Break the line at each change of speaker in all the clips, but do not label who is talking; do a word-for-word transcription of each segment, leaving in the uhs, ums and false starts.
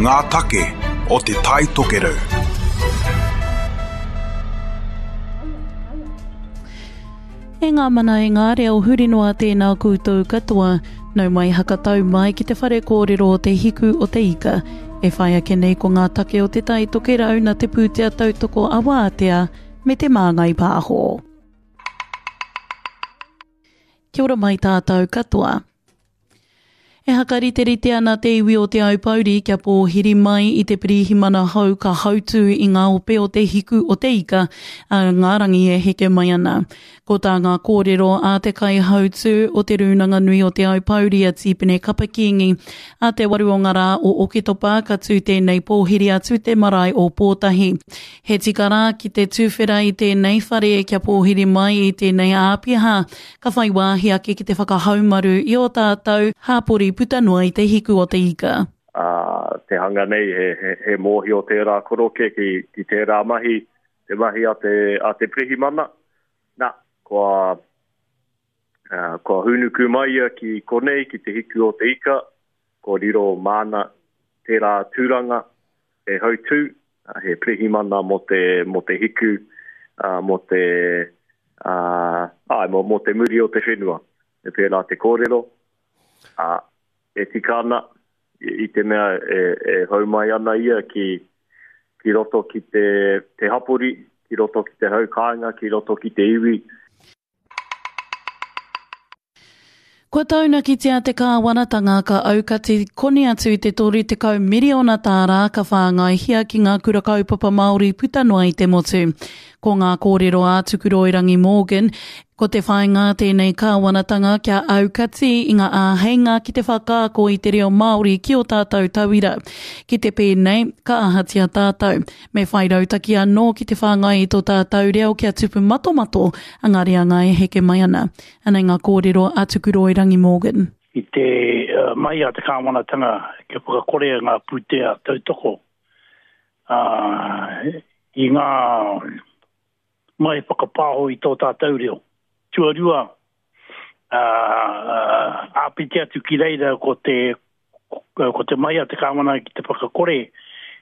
Ngā take o Te Tai Tokerau.
E ngā mana e ngā reo huri noa tēnā koutou katoa, nau mai hakatau mai ki te whare kōrero o Te Hiku o Te Ika. E whai ake nei ko ngā take o Te Tai Tokerau na te pūtea tautoko a Wātea me te Māngai Pāho. Kia ora mai tātou katoa. E hakariterite ana te iwi o Te Aupōuri kia pōhiri mai i te pirihimana hou ka hautū i ngā ope o Te Hiku o Te Ika a ngā rangi e heke mai ana. Ko tā ngā kōrero a te kaihautū o Te Rūnanga Nui o Te Aupōuri a Tīpene Kapa Kīngi a te waru o ngā rā o Oketopa ka tū tēnei pōhiri atu te marae o Pōtahi. He tika rā ki te tūwhera i tēnei whare kia pōhiri mai i tēnei āpiha ka whai wāhi ake ki te whakahaumaru i o tātou hāpori puta noa i te hiku o te ika.
Uh, te hanga nei, he, he, he mōhio tērā koroke ki, ki tērā mahi, te mahi a te, a te pirihimana. Nā, kua, uh, kua hūnuku mai ia ki konei, ki te hiku o te ika, kua riro māna tērā tūranga e hautū, he pirihimana mō te, mō te hiku, uh, mō te, uh, ai, mō, mō te muri o te whenua. E pērā te kōrero, uh, e tika ana i te mea e, e hau mai ana ia ki, ki roto ki te, te hapori, ki roto ki te hau kāinga, ki roto ki te iwi.
Kua taunakitia te kāwanatanga ka aukati koni atu te toru tekau miriona tāra ka whāngaihia ki ngā kura kaupapa Māori puta noa i te motu. Ko ngā kōrero a Tukuroirangi Morgan, ko te whāinga tēnei kāwanatanga kia aukati i ngā āheinga ki te whakaako i te reo Māori ki o tātou tauira. Ki te pēnei, ka ahatia tātou. Me whai rautaki anō ki te whāngai i tō tātou reo kia tupu matomato a ngā reanga e heke mai ana. Anei ngā kōrero a Tukuroirangi Morgan.
I te uh, mai a te kāwanatanga kia whakakore ngā pūtea tautoko uh, i ngā mai whakapāho i tō tātou reo. Tuarua, uh, āpiti atu ki reira ko te, ko te mai a te kāwana ki te whakakore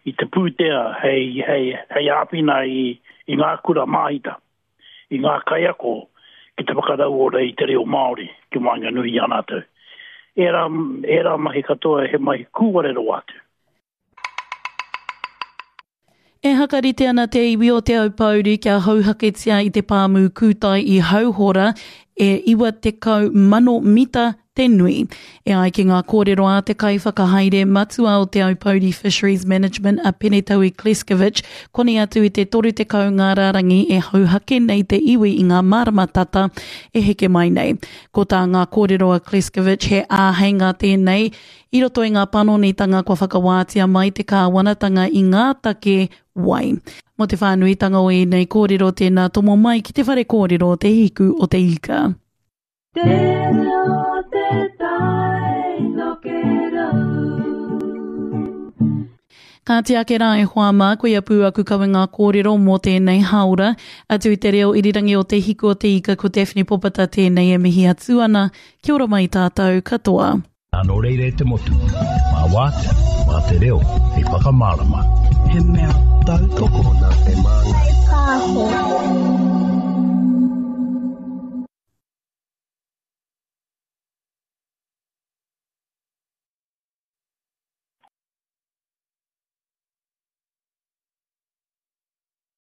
i te pūtea hei, hei, hei āwhina i, i ngā kura māhita, i ngā kaiako ki te whakarauora i te reo Māori ki waenganui i a rātou. Ērā, ērā mahi katoa he mahi kūware rawa atu.
E hakarite ana te iwi o Te Aupōuri kia hauhaketia i te pāmu kūtai i Hauhora e iwa tekau mano mita te nui. E ai ki ngā kōrero a te kaiwhakahaere matua o Te Aupōuri Fisheries Management a Penetaui Kleskovic, koni atu i te toru tekau ngā rārangi e hauhake nei te iwi i ngā marama tata e heke mai nei. Ko tā ngā kōrero a Kleskovic he āheinga tēnei i roto i ngā panonitanga kua whakawātia mai te kāwanatanga i ngā take wai. Mō te whānuitanga o ēnei kōrero tēnā tomo mai ki te whare kōrero Te Hiku o Te Ika.
Te reo te tai tokerau.
Kāti ake rā e hoa mā, koia pū aku kawe ngā kōrero mō tēnei hāora. Atu i te reo irirangi o Te Hiku o Te Ika, ko Daphne Popata tēnei e mihi atu ana. Kia ora mai tātou katoa.
Nō reira e te motu, mā wātea, mā te reo, hei whakamārama.
He mea tautoko
nā te Māngai Pāho.